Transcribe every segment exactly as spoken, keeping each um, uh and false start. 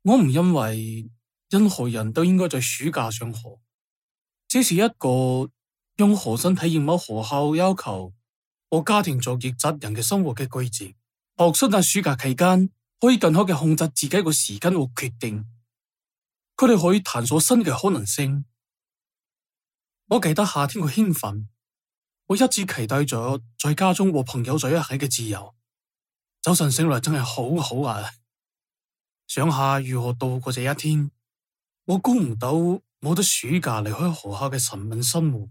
我唔認為任何人都應該在暑假上學，這是一個用學生體驗某學校要求和家庭作業責任嘅生活嘅規則。學生喺暑假期間可以更好嘅控制自己嘅時間和決定，佢哋可以探索新嘅可能性。我記得夏天嘅興奮，我一直期待咗在家中和朋友在一起嘅自由。早晨醒來真係好好啊！想下如何度過這一天，我估唔到冇得暑假離開學校嘅沉悶生活。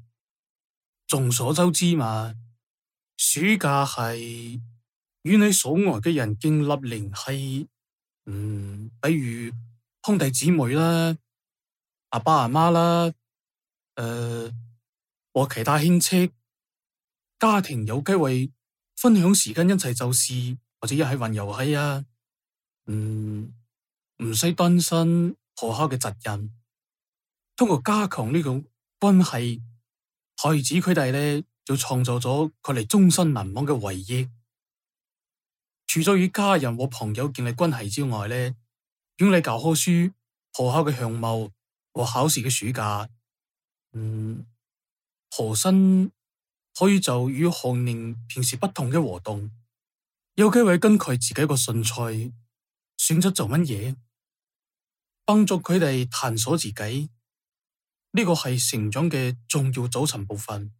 眾所周知嘛，暑假係與你所愛嘅人建立聯繫，嗯，比如兄弟姊妹啦、阿爸阿媽啦，誒、呃，和其他親戚、家庭有機會分享時間，一齊做事或者一起玩遊戲啊，嗯，唔使擔心學校嘅責任。通過加強呢種關係，孩子佢哋咧就創造咗佢哋終身難忘嘅回憶。除咗與家人和朋友建立關係之外咧，用嚟教科書、學校嘅項目和考試嘅暑假，嗯，學生可以做與學年平時不同嘅活動，有機會根據自己個興趣選擇做乜嘢，幫助佢哋探索自己。呢個係成長嘅重要組成部分。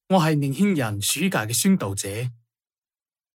我係年輕人暑假嘅宣導者。